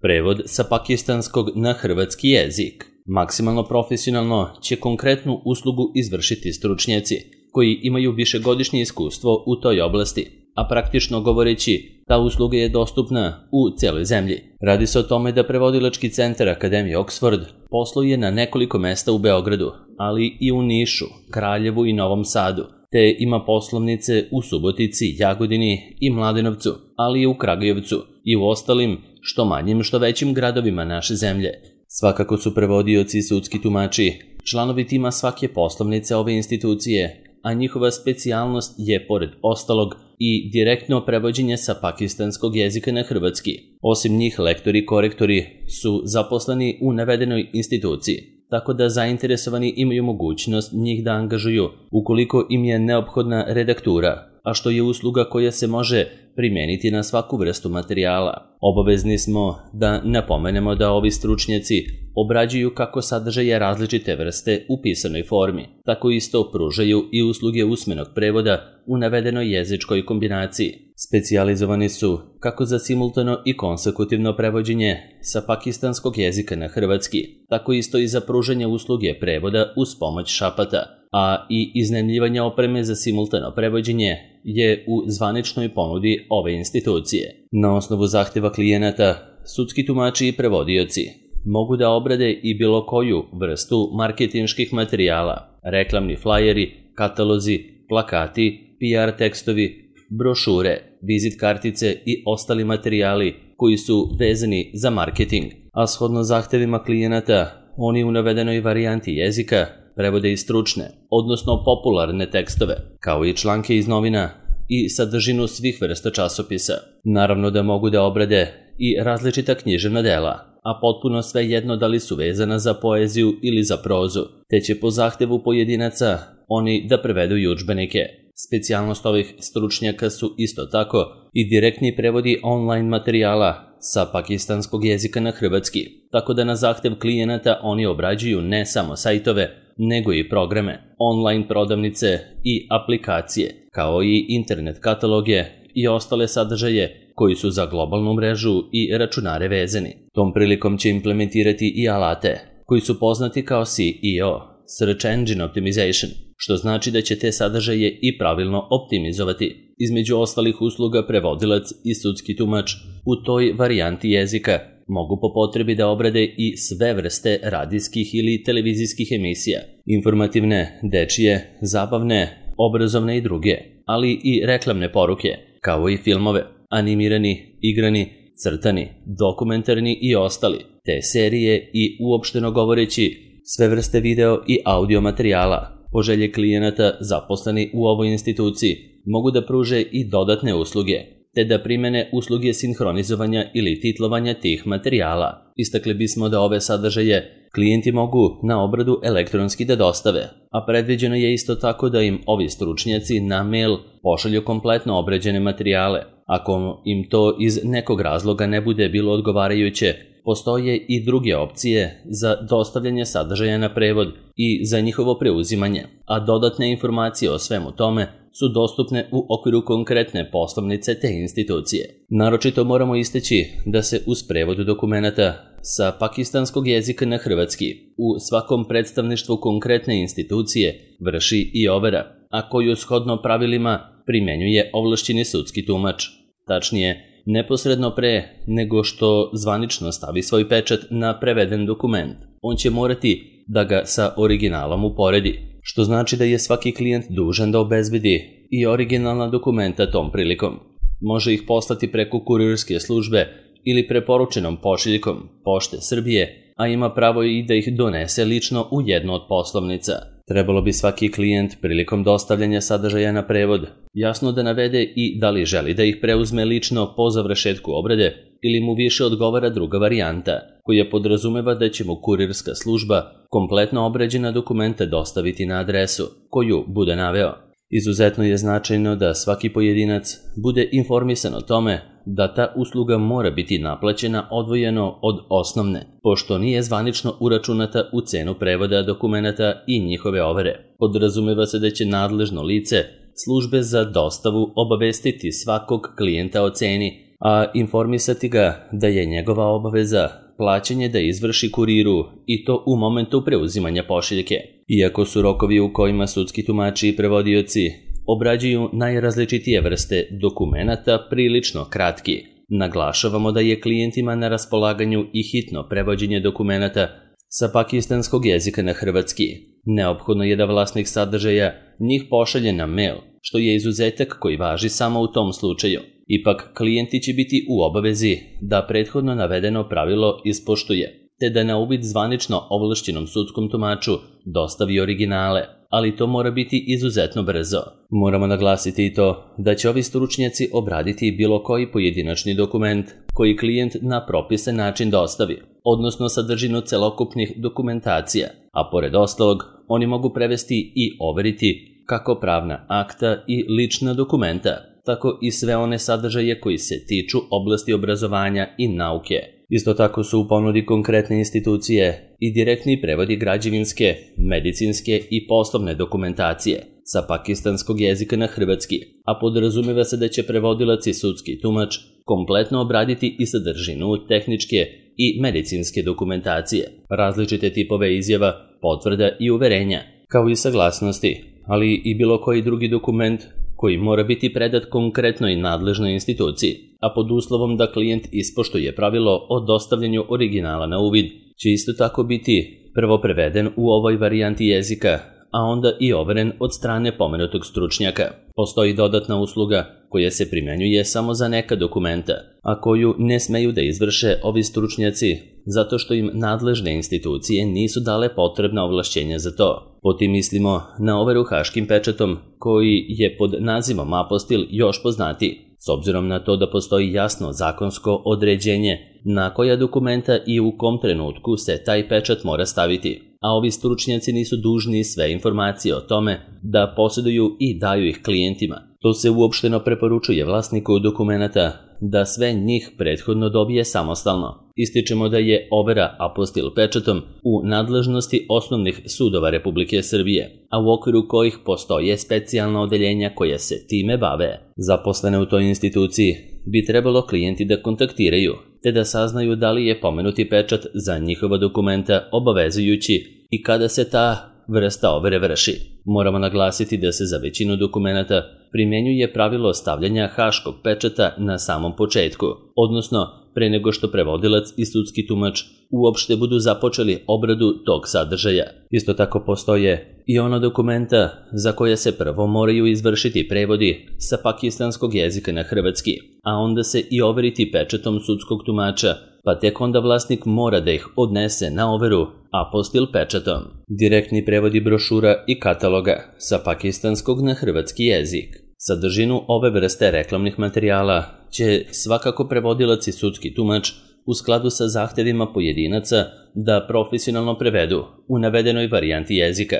Prevod sa pakistanskog na hrvatski jezik. Maksimalno profesionalno će konkretnu uslugu izvršiti stručnjaci koji imaju višegodišnje iskustvo u toj oblasti, a praktično govoreći, ta usluga je dostupna u celoj zemlji. Radi se o tome da prevodilački centar Akademije Oxford posluje na nekoliko mesta u Beogradu, ali i u Nišu, Kraljevu i Novom Sadu, te ima poslovnice u Subotici, Jagodini i Mladenovcu, ali i u Kragujevcu i u ostalim što manjim što većim gradovima naše zemlje. Svakako su prevodioci i sudski tumači članovi tima svake poslovnice ove institucije, a njihova specijalnost je, pored ostalog, i direktno prevođenje sa pakistanskog jezika na hrvatski. Osim njih, lektori i korektori su zaposleni u navedenoj instituciji, tako da zainteresovani imaju mogućnost njih da angažuju ukoliko im je neophodna redaktura, a što je usluga koja se može primeniti na svaku vrstu materijala. Obavezni smo da napomenemo da ovi stručnjaci obrađuju kako sadržaje različite vrste u pisanoj formi, tako isto pružaju i usluge usmenog prevoda u navedenoj jezičkoj kombinaciji. Specijalizovani su kako za simultano i konsekutivno prevođenje sa pakistanskog jezika na hrvatski, tako isto i za pružanje usluge prevoda uz pomoć šapata, a i iznajmljivanje opreme za simultano prevođenje je u zvaničnoj ponudi ove institucije. Na osnovu zahteva klijenata, sudski tumači i prevodioci mogu da obrade i bilo koju vrstu marketinških materijala, reklamni flajeri, katalozi, plakati, PR tekstovi, brošure, vizit kartice i ostali materijali koji su vezani za marketing, a shodno zahtevima klijenata, oni u navedenoj varijanti jezika prevode i stručne, odnosno popularne tekstove, kao i članke iz novina i sadržinu svih vrsta časopisa. Naravno da mogu da obrade i različita književna dela, a potpuno svejedno da li su vezana za poeziju ili za prozu, te će po zahtevu pojedinaca oni da prevedu i udžbenike. Specijalnost ovih stručnjaka su isto tako i direktni prevodi online materijala sa pakistanskog jezika na hrvatski, tako da na zahtev klijenata oni obrađuju ne samo sajtove, nego i programe, online prodavnice i aplikacije, kao i internet kataloge i ostale sadržaje koji su za globalnu mrežu i računare vezani. Tom prilikom će implementirati i alate koji su poznati kao SEO, Search Engine Optimization, što znači da će te sadržaje i pravilno optimizovati. Između ostalih usluga prevodilac i sudski tumač u toj varijanti jezika mogu po potrebi da obrade i sve vrste radijskih ili televizijskih emisija, informativne, dečije, zabavne, obrazovne i druge, ali i reklamne poruke, kao i filmove, animirani, igrani, crtani, dokumentarni i ostali, te serije i uopšteno govoreći sve vrste video i audio materijala. Po želji klijenata zaposleni u ovoj instituciji mogu da pruže i dodatne usluge, te da primene usluge sinhronizovanja ili titlovanja tih materijala. Istakli bismo da ove sadržaje klijenti mogu na obradu elektronski da dostave, a predviđeno je isto tako da im ovi stručnjaci na mail pošalju kompletno obrađene materijale. Ako im to iz nekog razloga ne bude bilo odgovarajuće, postoje i druge opcije za dostavljanje sadržaja na prevod i za njihovo preuzimanje, a dodatne informacije o svemu tome su dostupne u okviru konkretne poslovnice te institucije. Naročito moramo istaći da se uz prevod dokumenata sa pakistanskog jezika na hrvatski u svakom predstavništvu konkretne institucije vrši i overa, a koju shodno pravilima primenjuje ovlašćeni sudski tumač. Tačnije, neposredno pre nego što zvanično stavi svoj pečat na preveden dokument, on će morati da ga sa originalom uporedi, što znači da je svaki klijent dužan da obezbedi i originalna dokumenta tom prilikom. Može ih poslati preko kurirske službe ili preporučenom pošiljkom Pošte Srbije, a ima pravo i da ih donese lično u jednu od poslovnica. Trebalo bi svaki klijent prilikom dostavljanja sadržaja na prevod jasno da navede i da li želi da ih preuzme lično po završetku obrade ili mu više odgovara druga varijanta, koja podrazumeva da će mu kurirska služba kompletno obrađena dokumenta dostaviti na adresu koju bude naveo. Izuzetno je značajno da svaki pojedinac bude informisan o tome da ta usluga mora biti naplaćena odvojeno od osnovne, pošto nije zvanično uračunata u cenu prevoda dokumenata i njihove overe. Podrazumeva se da će nadležno lice službe za dostavu obavestiti svakog klijenta o ceni a informisati ga da je njegova obaveza plaćanje da izvrši kuriru i to u momentu preuzimanja pošiljke. Iako su rokovi u kojima sudski tumači i prevodioci obrađuju najrazličitije vrste dokumenata prilično kratki, naglašavamo da je klijentima na raspolaganju i hitno prevođenje dokumenata sa pakistanskog jezika na hrvatski. Neophodno je da vlasnik sadržaja njih pošalje na mail, što je izuzetak koji važi samo u tom slučaju. Ipak, klijenti će biti u obavezi da prethodno navedeno pravilo ispoštuje, te da na uvid zvanično ovlašćenom sudskom tumaču dostavi originale, ali to mora biti izuzetno brzo. Moramo naglasiti i to da će ovi stručnjaci obraditi bilo koji pojedinačni dokument koji klijent na propisan način dostavi, odnosno sadržinu celokupnih dokumentacija, a pored ostalog oni mogu prevesti i overiti kako pravna akta i lična dokumenta, tako i sve one sadržaje koji se tiču oblasti obrazovanja i nauke. Isto tako su u ponudi konkretne institucije i direktni prevodi građevinske, medicinske i poslovne dokumentacije sa pakistanskog jezika na hrvatski, a podrazumeva se da će prevodilac i sudski tumač kompletno obraditi i sadržinu tehničke i medicinske dokumentacije, različite tipove izjava, potvrda i uverenja, kao i saglasnosti, ali i bilo koji drugi dokument koji mora biti predat konkretnoj nadležnoj instituciji, a pod uslovom da klijent ispoštuje pravilo o dostavljanju originala na uvid, će isto tako biti prvo preveden u ovoj varijanti jezika, a onda i overen od strane pomenutog stručnjaka. Postoji dodatna usluga koja se primjenjuje samo za neka dokumenta, a koju ne smeju da izvrše ovi stručnjaci zato što im nadležne institucije nisu dale potrebna ovlašćenja za to. Potim mislimo na overu haškim pečatom koji je pod nazivom apostil još poznatiji, s obzirom na to da postoji jasno zakonsko određenje na koja dokumenta i u kom trenutku se taj pečat mora staviti, a ovi stručnjaci nisu dužni sve informacije o tome da posjeduju i daju ih klijentima. To se uopšteno preporučuje vlasniku dokumenata da sve njih prethodno dobije samostalno. Ističemo da je overa apostil pečatom u nadležnosti osnovnih sudova Republike Srbije, a u okviru kojih postoje specijalna odeljenja koja se time bave. Zaposlene u toj instituciji bi trebalo klijenti da kontaktiraju, te da saznaju da li je pomenuti pečat za njihova dokumenta obavezujući i kada se ta vrsta overe vrši. Moramo naglasiti da se za većinu dokumenata primjenjuje pravilo stavljanja haškog pečata na samom početku, odnosno pre nego što prevodilac i sudski tumač uopšte budu započeli obradu tog sadržaja. Isto tako postoje i ono dokumenta za koje se prvo moraju izvršiti prevodi sa pakistanskog jezika na hrvatski, a onda se i overiti pečatom sudskog tumača, pa tek onda vlasnik mora da ih odnese na overu apostil pečatom. Direktni prevodi brošura i kataloga sa pakistanskog na hrvatski jezik. Sadržinu ove vrste reklamnih materijala će svakako prevodilac i sudski tumač u skladu sa zahtevima pojedinaca da profesionalno prevedu u navedenoj varijanti jezika.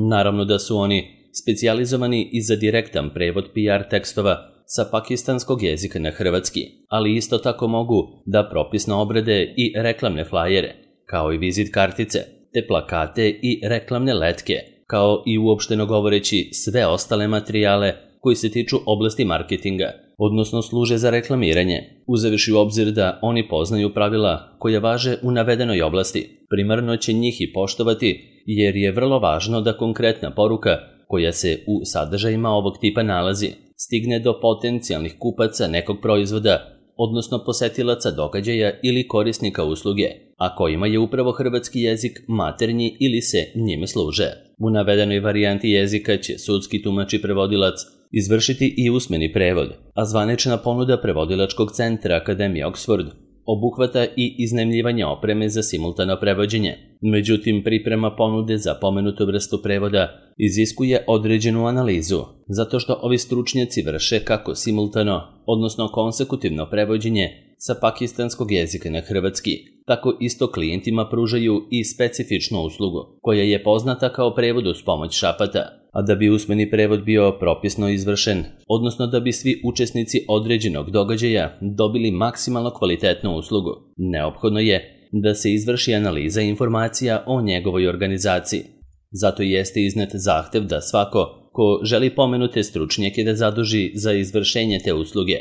Naravno da su oni specijalizovani i za direktan prevod PR tekstova sa pakistanskog jezika na hrvatski, ali isto tako mogu da propisno obrade i reklamne flajere, kao i vizit kartice, te plakate i reklamne letke, kao i uopšteno govoreći sve ostale materijale koji se tiču oblasti marketinga, odnosno služe za reklamiranje, uzevši u obzir da oni poznaju pravila koja važe u navedenoj oblasti. Primarno će njih i poštovati, jer je vrlo važno da konkretna poruka koja se u sadržajima ovog tipa nalazi stigne do potencijalnih kupaca nekog proizvoda, odnosno posetilaca događaja ili korisnika usluge, a kojima je upravo hrvatski jezik maternji ili se njime služe. U navedenoj varijanti jezika će sudski tumač i prevodilac izvršiti i usmeni prevod, a zvanična ponuda prevodilačkog centra Akademije Oxford obuhvata i iznajmljivanje opreme za simultano prevođenje. Međutim, priprema ponude za pomenutu vrstu prevoda iziskuje određenu analizu, zato što ovi stručnjaci vrše kako simultano, odnosno konsekutivno prevođenje sa pakistanskog jezika na hrvatski, tako isto klijentima pružaju i specifičnu uslugu, koja je poznata kao prevod uz pomoć šapata. A da bi usmeni prevod bio propisno izvršen, odnosno da bi svi učesnici određenog događaja dobili maksimalno kvalitetnu uslugu, neophodno je da se izvrši analiza informacija o njegovoj organizaciji. Zato jeste iznet zahtev da svako ko želi pomenute stručnjake da zaduži za izvršenje te usluge,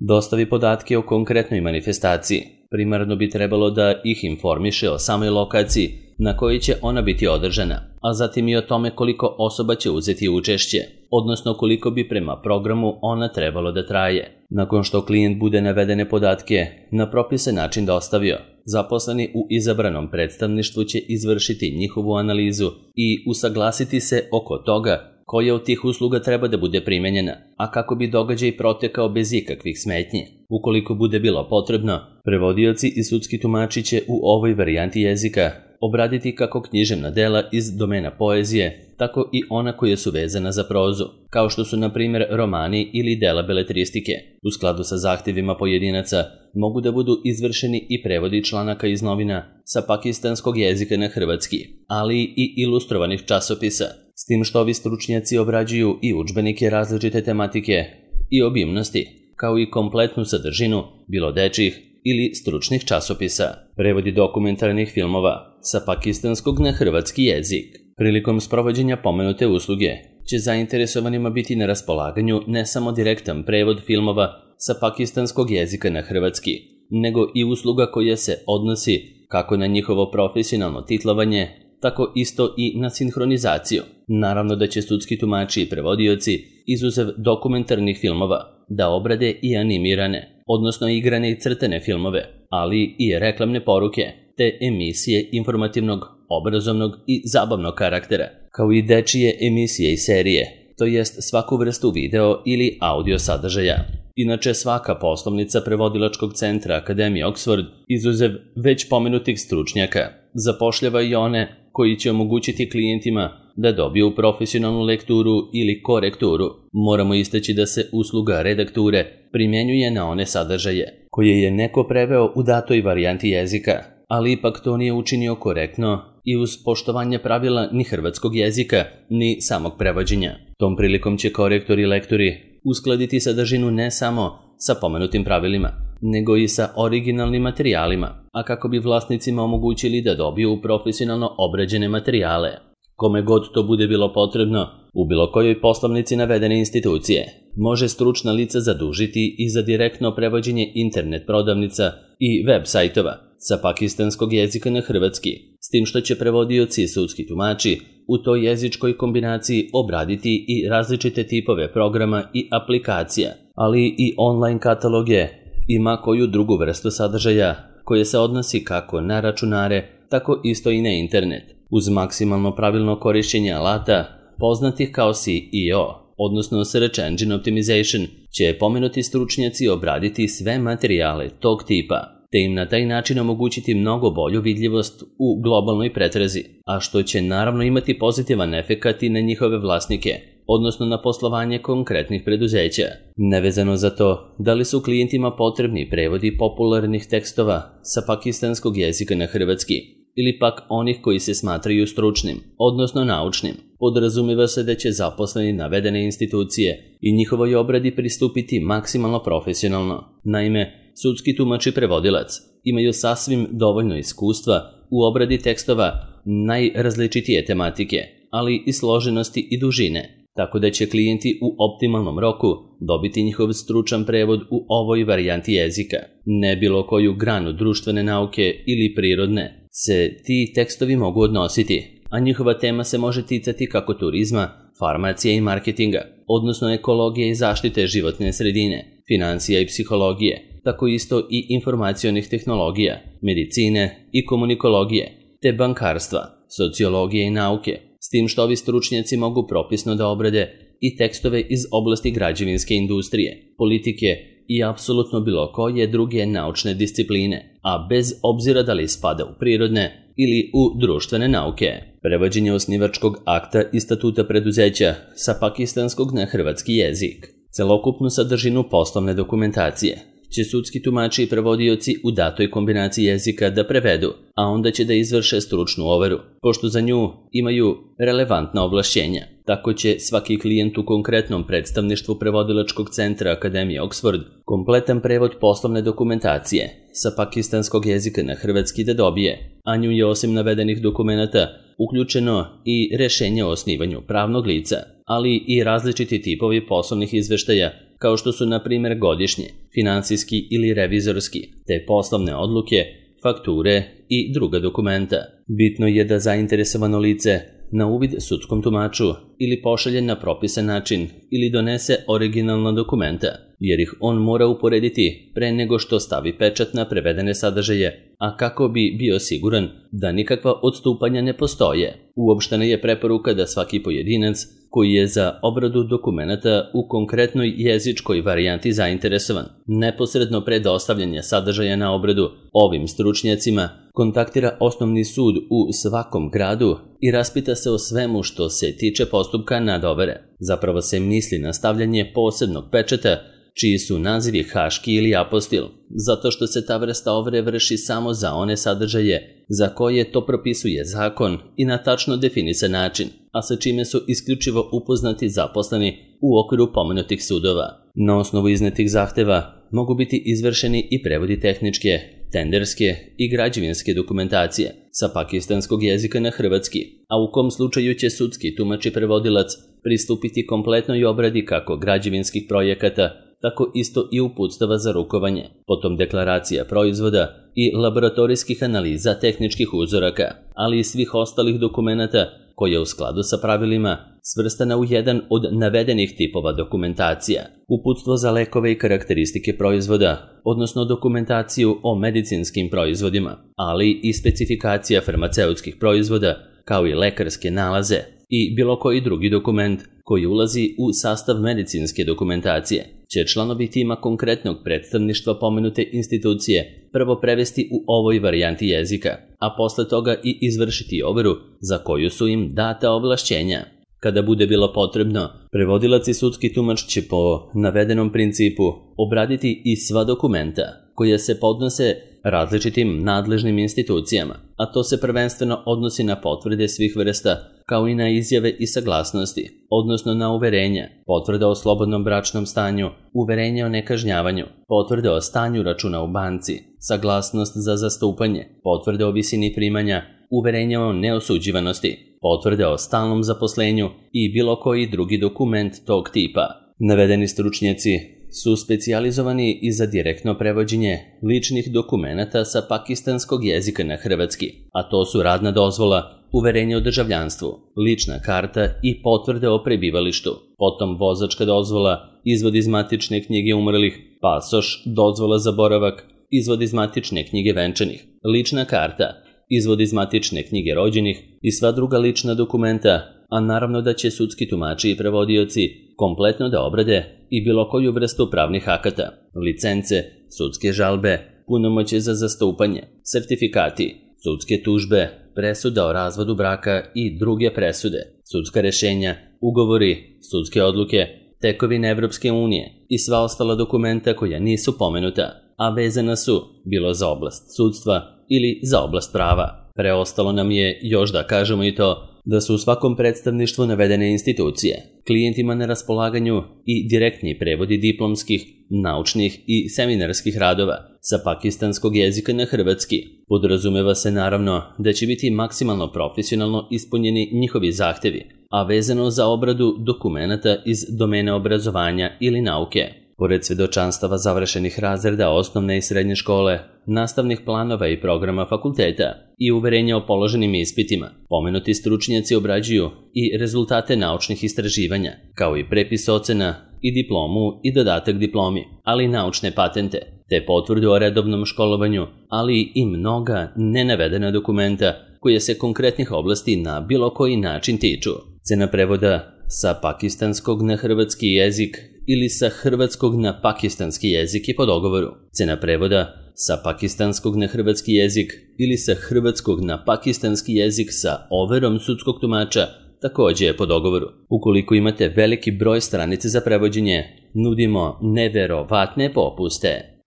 dostavi podatke o konkretnoj manifestaciji. Primarno bi trebalo da ih informiše o samoj lokaciji na kojoj će ona biti održana, a zatim i o tome koliko osoba će uzeti učešće, odnosno koliko bi prema programu ona trebalo da traje. Nakon što klijent bude navedene podatke na propisan način dostavio, zaposleni u izabranom predstavništvu će izvršiti njihovu analizu i usaglasiti se oko toga koja od tih usluga treba da bude primenjena, a kako bi događaj protekao bez ikakvih smetnji. Ukoliko bude bilo potrebno, prevodioci i sudski tumači će u ovoj varijanti jezika obraditi kako književna dela iz domena poezije, tako i ona koja su vezana za prozu, kao što su na primjer romani ili dela beletristike. U skladu sa zahtjevima pojedinaca mogu da budu izvršeni i prevodi članaka iz novina sa pakistanskog jezika na hrvatski, ali i ilustrovanih časopisa, s tim što ovi stručnjaci obrađuju i udžbenike različite tematike i obimnosti, kao i kompletnu sadržinu, bilo dečjih ili stručnih časopisa. Prevodi dokumentarnih filmova sa pakistanskog na hrvatski jezik. Prilikom sprovođenja pomenute usluge će zainteresovanima biti na raspolaganju ne samo direktan prevod filmova sa pakistanskog jezika na hrvatski, nego i usluga koja se odnosi kako na njihovo profesionalno titlovanje, tako isto i na sinhronizaciju. Naravno da će sudski tumači i prevodioci, izuzev dokumentarnih filmova, da obrade i animirane, odnosno igrane i crtane filmove, ali i reklamne poruke, te emisije informativnog, obrazovnog i zabavnog karaktera, kao i dečije emisije i serije, to jest svaku vrstu video ili audio sadržaja. Inače, svaka poslovnica prevodilačkog centra Akademije Oxford, izuzev već pomenutih stručnjaka, zapošljava i one koji će omogućiti klijentima da dobiju profesionalnu lekturu ili korekturu. Moramo istaći da se usluga redakture primjenjuje na one sadržaje koje je neko preveo u datoj varijanti jezika, ali ipak to nije učinio korektno i uz poštovanje pravila ni hrvatskog jezika, ni samog prevođenja. Tom prilikom će korektori i lektori uskladiti sadržinu ne samo sa pomenutim pravilima, nego i sa originalnim materijalima, a kako bi vlasnicima omogućili da dobiju profesionalno obrađene materijale. Kome god to bude bilo potrebno, u bilo kojoj poslovnici navedene institucije, može stručna lica zadužiti i za direktno prevođenje internet prodavnica i web sajtova sa pakistanskog jezika na hrvatski, s tim što će prevodioci i sudski tumači u toj jezičkoj kombinaciji obraditi i različite tipove programa i aplikacija, ali i online kataloge i ma koju drugu vrstu sadržaja koje se odnosi kako na računare, tako isto i na internet, uz maksimalno pravilno korišćenje alata poznatih kao SEO, odnosno Search Engine Optimization, će pomenuti stručnjaci obraditi sve materijale tog tipa, te im na taj način omogućiti mnogo bolju vidljivost u globalnoj pretrazi, a što će naravno imati pozitivan efekat i na njihove vlasnike, odnosno na poslovanje konkretnih preduzeća. Nevezano za to, da li su klijentima potrebni prevodi popularnih tekstova sa pakistanskog jezika na hrvatski, ili pak onih koji se smatraju stručnim, odnosno naučnim, podrazumijeva se da će zaposleni navedene institucije i njihovoj obradi pristupiti maksimalno profesionalno. Naime, sudski tumač i prevodilac imaju sasvim dovoljno iskustva u obradi tekstova najrazličitije tematike, ali i složenosti i dužine, tako da će klijenti u optimalnom roku dobiti njihov stručan prevod u ovoj varijanti jezika. Ne bilo koju granu društvene nauke ili prirodne se ti tekstovi mogu odnositi, a njihova tema se može ticati kako turizma, farmacije i marketinga, odnosno ekologije i zaštite životne sredine, financija i psihologije, tako isto i informacionih tehnologija, medicine i komunikologije, te bankarstva, sociologije i nauke, s tim što ovi stručnjaci mogu propisno da obrade i tekstove iz oblasti građevinske industrije, politike i apsolutno bilo koje druge naučne discipline, a bez obzira da li spada u prirodne ili u društvene nauke. Prevođenje osnivačkog akta i statuta preduzeća sa pakistanskog na hrvatski jezik. Celokupnu sadržinu poslovne dokumentacije će sudski tumači i prevodioci u datoj kombinaciji jezika da prevedu, a onda će da izvrše stručnu overu, pošto za nju imaju relevantna ovlašćenja. Tako će svaki klijent u konkretnom predstavništvu prevodilačkog centra Akademije Oxford kompletan prevod poslovne dokumentacije sa pakistanskog jezika na hrvatski da dobije, a nju je osim navedenih dokumenata uključeno i rešenje o osnivanju pravnog lica. ali i različiti tipovi poslovnih izveštaja, kao što su na primjer godišnji, finansijski ili revizorski, te poslovne odluke, fakture i druga dokumenta. Bitno je da zainteresovano lice na uvid sudskom tumaču ili pošalje na propisan način ili donese originalna dokumenta, jer ih on mora uporediti pre nego što stavi pečat na prevedene sadržaje, a kako bi bio siguran da nikakva odstupanja ne postoje. Uopštena je preporuka da svaki pojedinac koji je za obradu dokumenata u konkretnoj jezičkoj varijanti zainteresovan, neposredno pre dostavljanja sadržaja na obradu ovim stručnjacima, kontaktira osnovni sud u svakom gradu i raspita se o svemu što se tiče postupka nadovere. Zapravo se misli na stavljanje posebnog pečata, čiji su nazivi haški ili apostil, zato što se ta vrsta overe vrši samo za one sadržaje za koje to propisuje zakon i na tačno definisan način, a sa čime su isključivo upoznati zaposleni u okviru pomenutih sudova. Na osnovu iznetih zahteva mogu biti izvršeni i prevodi tehničke, tenderske i građevinske dokumentacije sa pakistanskog jezika na hrvatski, a u kom slučaju će sudski tumač i prevodilac pristupiti kompletnoj obradi kako građevinskih projekata, tako isto i uputstava za rukovanje, potom deklaracija proizvoda i laboratorijskih analiza tehničkih uzoraka, ali i svih ostalih dokumenata koja u skladu sa pravilima svrstana u jedan od navedenih tipova dokumentacija, uputstvo za lekove i karakteristike proizvoda, odnosno dokumentaciju o medicinskim proizvodima, ali i specifikacija farmaceutskih proizvoda, kao i lekarske nalaze i bilo koji drugi dokument koji ulazi u sastav medicinske dokumentacije, će članovi tima konkretnog predstavništva pomenute institucije prvo prevesti u ovoj varijanti jezika, a posle toga i izvršiti overu za koju su im data ovlašćenja. Kada bude bilo potrebno, prevodilac i sudski tumač će po navedenom principu obraditi i sva dokumenta koja se podnose različitim nadležnim institucijama, a to se prvenstveno odnosi na potvrde svih vrsta, kao i na izjave i saglasnosti, odnosno na uverenja, potvrde o slobodnom bračnom stanju, uverenje o nekažnjavanju, potvrde o stanju računa u banci, saglasnost za zastupanje, potvrde o visini primanja, uverenje o neosuđivanosti, potvrde o stalnom zaposlenju i bilo koji drugi dokument tog tipa. Navedeni stručnjaci su specijalizovani i za direktno prevođenje ličnih dokumenata sa pakistanskog jezika na hrvatski, a to su radna dozvola, uverenje o državljanstvu, lična karta i potvrde o prebivalištu, potom vozačka dozvola, izvod iz matične knjige umrlih, pasoš, dozvola za boravak, izvod iz matične knjige venčanih, lična karta, izvod iz matične knjige rođenih i sva druga lična dokumenta, a naravno da će sudski tumači i prevodioci kompletno da obrade i bilo koju vrstu pravnih akata, licence, sudske žalbe, punomoćje za zastupanje, sertifikati, sudske tužbe, presuda o razvodu braka i druge presude, sudska rešenja, ugovori, sudske odluke, tekovine Evropske unije i sva ostala dokumenta koja nisu pomenuta, a vezana su bilo za oblast sudstva ili za oblast prava. Preostalo nam je još da kažemo i to da su u svakom predstavništvu navedene institucije klijentima na raspolaganju i direktni prevodi diplomskih, naučnih i seminarskih radova sa pakistanskog jezika na hrvatski. Podrazumeva se naravno da će biti maksimalno profesionalno ispunjeni njihovi zahtevi, a vezano za obradu dokumenata iz domena obrazovanja ili nauke. Pored svedočanstava završenih razreda osnovne i srednje škole, nastavnih planova i programa fakulteta i uverenja o položenim ispitima, pomenuti stručnjaci obrađuju i rezultate naučnih istraživanja, kao i prepis ocena i diplomu i dodatak diplomi, ali i naučne patente, te potvrdu o redovnom školovanju, ali i mnoga nenavedena dokumenta koje se konkretnih oblasti na bilo koji način tiču. Cena prevoda sa pakistanskog na hrvatski jezik ili sa hrvatskog na pakistanski jezik je po dogovoru. Cena prevoda sa pakistanskog na hrvatski jezik ili sa hrvatskog na pakistanski jezik sa overom sudskog tumača također je po dogovoru. Ukoliko imate veliki broj stranice za prevođenje, nudimo neverovatne popuste.